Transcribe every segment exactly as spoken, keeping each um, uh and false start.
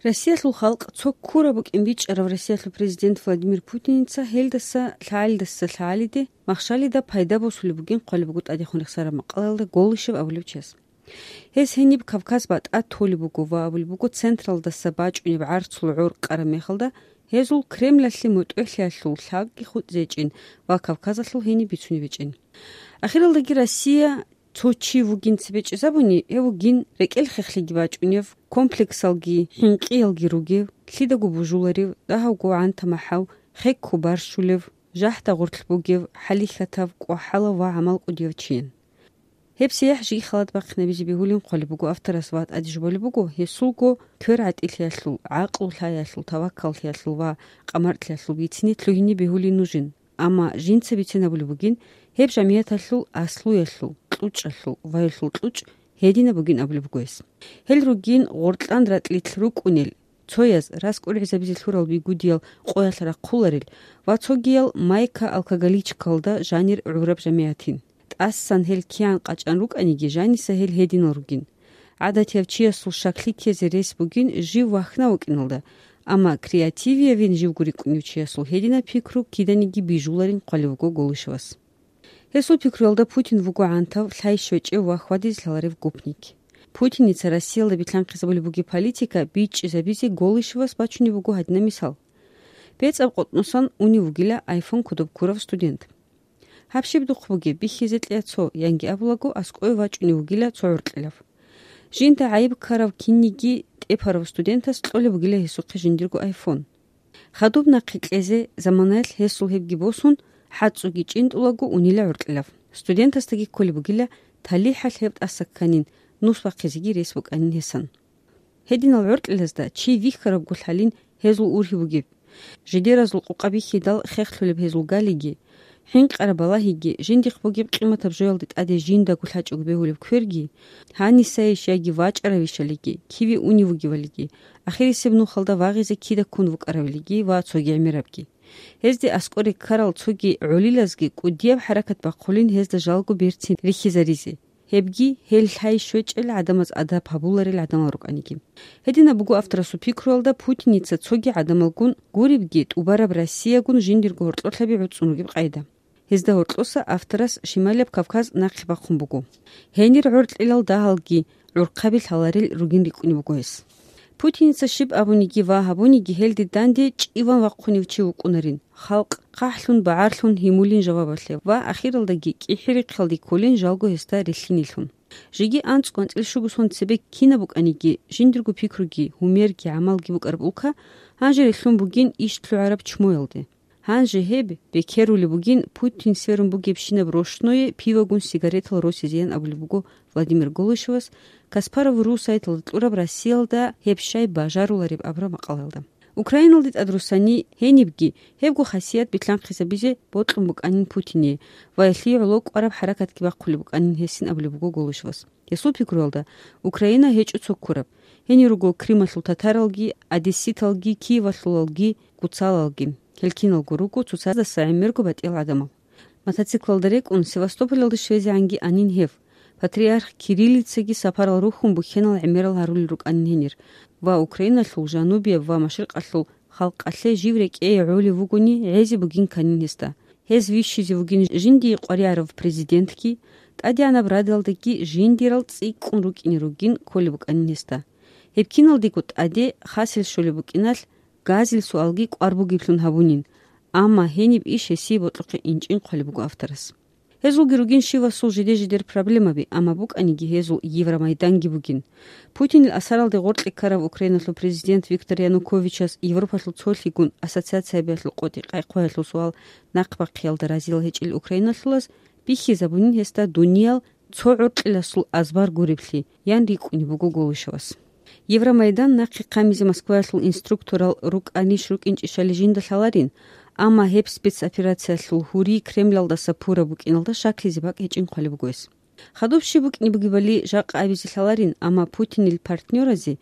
Россиялъул халкъ цо ккураб букӀин бичӀчӀарав Россиялъул президент Владимир Путиница гьелдаса лъагӀалидаса лъагӀалиде махщалида пайда босулеб бугин хъвалеб буго тӀадехун рехсараб макъалаялда Голышев абулев чияс. Гьес гьениб Кавказ батӀа толеб буго ва абулеб буго, централдаса бачӀунеб гӀарцул гӀор къараб мехалда гьезул Кремлалъе мутӀигӀлъиялъул лъабги хутӀ зечӀин ва Кавказалъул гьениб бицунеб гьечӀин. Ахиралдаги Россия цо чи вугин цебе чӀезабуни, гьев вугин рекӀел хехлъиги бачӀунев, комплексалги, хӀинкъиялги ругев, лъидаго бужуларев, дагьавго гӀанта-махӀав, хекко барщулев, жахӀда гъорлъ бугев, хӀалихьатав, кӀвахӀалав ва гӀамал кӀудияв чиян. Гьеб сияхӀ жиги халат бахъинабизе бегьулин хъвалеб буго авторас ва тӀаде жубалеб буго, гьесулго квер гӀатӀилъиялъул, гӀакълу лъаялъул, таваккаллъиялъул ва къамартлъиялъул бицине лъугьине бегьулин нужин. Амма жинца бицен абулеб бугин, гьеб жамигӀаталъул аслуялъул, кьучӀалъул, ваюлъул кьучӀ гьединаб бугин абулеб буго гьес. Гьел ругин гъоркьан ратӀлилъ рукӀунел, цояз раскӀургӀизабизе лъурал бигудиял къоялъ рахъуларел ва цогиял майка-алкоголичкалда жанир гӀураб жамигӀатин. ТӀасан гьел киян къачӀан рукӀаниги, жаниса гьел гьединал ругин. ГӀадатияв чиясул шаклъи ккезе рес бугин жив вахьнав вукӀиналда, амма креативиявин живго рикӀкӀунев чиясул гьединаб пикру киданиги бижуларин хъвалев вуго Голышевас. Гьесул пикруялда Путин вуго гӀантав, лъай щвечӀев ва хьвадизе лъаларев гопник. Путиница Россиялда билълъанхъизабулеб бугеб политика бичӀчӀизабизе Голышевас бачунеб буго гьадинаб мисал. БецӀаб къотӀносан унев вугила iPhone кодоб ккурав студент. Гьаб щиб духъ бугеб, бихьизе кьея цо, янги абулаго, аскӀове вачӀунев вугила цо гӀоркьилав. Жинда гӀайиб ккарав кинниги тӀепарав студентас кьолеб бугила гьесухъе жиндирго iPhone. Хадуб нахъе кьезе заманаялъ гьесул гьебги босун, хӀацӀцӀуги чӀинтӀулаго унила гӀоркьилав. Студентасдаги кколеб бугила, талихӀалъ гьеб тӀаса кканин, нус бахъизеги рес букӀанин гьесан. Гьединал гӀоркьилазда чи вихьарабго лъалин гьезул ургьиб бугеб. Жидеразул къукъа бихьидал хехлъулеб гьезул галиги, хӀинкъараб балагьиги, жиндихъ бугеб къиматаб жоялде тӀаде жиндаго лъачӀого бегьулеб кверги, гьанисайищ яги вачӀаравищалиги, киве унев вугевалиги, ахирисеб нухалда вагъизе кида ккун вукӀаравилиги ва цоги гӀемерабги. Гьезде аскӀоре ккарал цоги гӀолилазги кӀудияб хӀаракат бахъулин гьезда жалго берцин рихьизаризе. Гьебги гьел лъай щвечӀел гӀадамаз адаб гьабуларел гӀадамал рукӀаниги. Гьединаб буго авторасул пикруялда Путиница цоги гӀадамалгун гуребги тӀубараб Россиягун жиндирго гьоркьолъаби гӀуцӀун ругеб къайда. Гьезда гьоркьоса авторас Шималияб Кавказ нахъе бахъун буго. Гьенир гӀоркьилал дагьалги гӀурхъаби лъаларел ругин рикӀкӀунеб буго гьес. Путиница щиб абуниги ва гьабуниги гьелде данде чӀиван вахъунев чи вукӀунарин, халкъ хъахӀлъун, багӀарлъун гьимулин жавабалъе ва ахиралдаги кӀихӀи-рихъалде кколин жалго гьесда рилълъинилъун. Жеги анцӀго-анцӀила щуго сон цебе кинаб букӀаниги, жиндирго пикруги, гьумерги, гӀамалги букӀараб улка гьанже рилълъун бугин иш лъугӀараб чмоялде. Гьанже гьеб бекерулеб бугин Путин сверун бугебщинаб рощное пивагун сигаретал росизеян абулеб буго Владимир Голышевас Каспаров ру сайталда кьураб Россиялда гьеб щай бажарулареб абураб макъалаялда. Украиналде тӀад руссани гьенибги гьебго хасият билълъанхъизабизе бокьун букӀанин Путине ва гьелъие гӀоло кӀвараб хӀаракатги бахъулеб букӀанин гьесин абулеб буго Голышевас. Гьесул пикруялда, Украина гьечӀо цо ккураб. Гьенир руго Крималъул татаралги, одесситалги, Киевалъулалги, гуцалалги. Гьел киналго руго цоцаздаса гӀемерго батӀиял гӀадамал. Мотоциклалда рекӀун Севастополалде щвезегӀанги анин гьев. Патриарх Кириллицаги сапарал рухьун бухьенал гӀемерал гьарулел рукӀанин гьенир ва Украиналъул жанубияб ва машрикъалъул халкъалъе жив рекӀее гӀолев вугони гӀезе бугин кканин гьесда. Гьез вищизе вугин жиндие къваригӀарав президентги, ТӀадегӀанаб Радалдаги жиндирал цӀикӀкӀун рукӀине ругин кколеб букӀанин гьесда. Гьеб киналдего тӀаде хасел щолеб букӀиналъ газил суалги кӀвар бугеблъун гьабунин, амма гьениб иш гьесие бокьухъе инчӀин хъвалеб буго авторас. Гьезулги ругин щивасул жиде-жидер проблемаби, амма букӀаниги гьезул Евромайданги бугин. Путинил асаралде гъоркье ккарав Украиналъул президент Виктор Януковичас Европалъул цолъигун ассоциациябиялъул къотӀи-къайхъуялъул суал нахъбахъиялда разилал гьечӀел украиналъулаз бихьизабунин гьесда дуниял цо гӀоркьиласул азбар гуреблъи, ян рикӀкӀунеб буго Голышевас. Евромайдан нахъе хъамизе Москваялъул инструкторал рукӀанищ-рукӀинчӀищали жинда лъаларин, амма гьеб спецоперациялъул гьури Кремлалдаса пураб букӀиналда щаклъизе бакӀ гьечӀин хъвалеб буго гьес. Хадуб щиб букӀине бугебали жакъа абизе лъаларин, амма Путинил партнёразе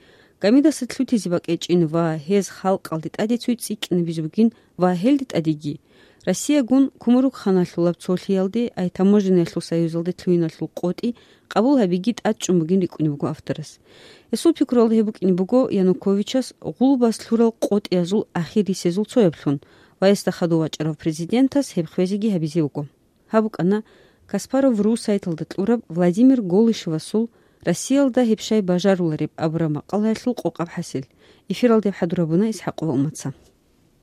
гамидаса лъутизе бакӀ гьечӀин ва гьез халкъалде тӀаде цуй цӀикӀкӀинабизе бугин ва гьелде тӀадеги Россиягун Кумурукханалъулаб цолъиялде, ай таможенниялъул союзалде лъугьиналъул къотӀи къабул гьабиги тӀадчӀун бугин рикӀкӀунеб буго авторас. Гьесул пикруялда гьеб букӀине буго Януковичас гъулбас лъурал къотӀиязул ахир рисезул цояблъун ва гьесда хадув вачӀарав президентас гьеб хвезеги гьабизе вуго. Гьаб букӀана Каспаров ру сайталда кьураб Владимир Голышевасул «Россиялда гьеб щай бажарулареб» абураб макъалаялъул къокъаб хӀасил. Эфиралда гьеб хӀадур гьабуна ИсхӀакъова Умаца.